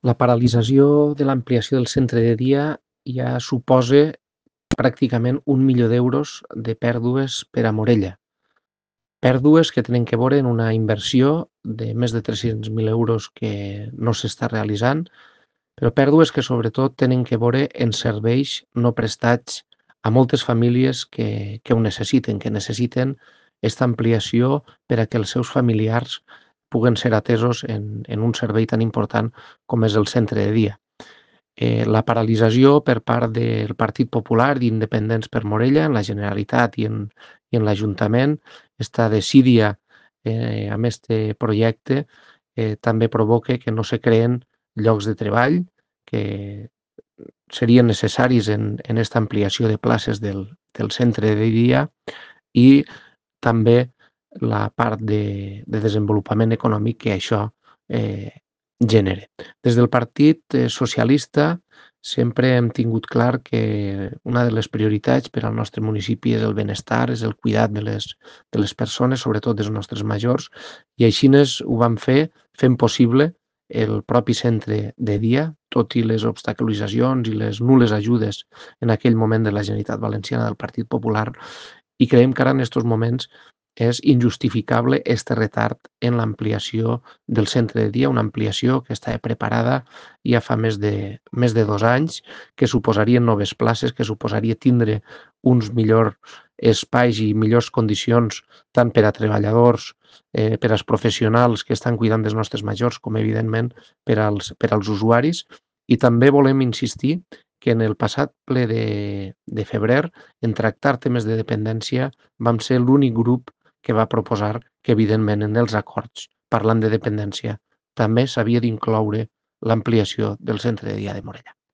La paralització de l'ampliació del centre de dia ja suposa pràcticament 1.000.000 d'euros de pèrdues per a Morella. Pèrdues que tenen que veure en una inversió de més de 300.000 euros que no s'està realitzant, però pèrdues que sobretot tenen que veure en serveis no prestats a moltes famílies que ho necessiten, que necessiten esta ampliació per a que els seus familiars puguen ser atesos en un servei tan important com és el centre de dia. La paralització per part del Partit Popular d'Independents per Morella, en la Generalitat i en l'Ajuntament, esta desídia amb este projecte també provoca que no se creen llocs de treball que serien necessaris en esta ampliació de places del centre de dia i també la part de desenvolupament econòmic que això eh, genera. Des del Partit Socialista sempre hem tingut clar que una de les prioritats per al nostre municipi és el benestar, és el cuidat de les persones, sobretot dels nostres majors, i així ho vam fer fent possible el propi centre de dia, tot i les obstaculitzacions i les nules ajudes en aquell moment de la Generalitat Valenciana del Partit Popular, i creiem que ara en aquests moments és injustificable este retard en l'ampliació del centre de dia, una ampliació que estava preparada ja fa més de 2 anys, que suposarien noves places, que suposaria tindre uns millors espais i millors condicions tant per a treballadors, per als professionals que estan cuidant dels nostres majors, com evidentment per als usuaris. I també volem insistir que en el passat ple de febrer, en tractar temes de dependència, vam ser l'únic grup que va proposar que, evidentment, en els acords, parlant de dependència, també s'havia d'incloure l'ampliació del centre de dia de Morella.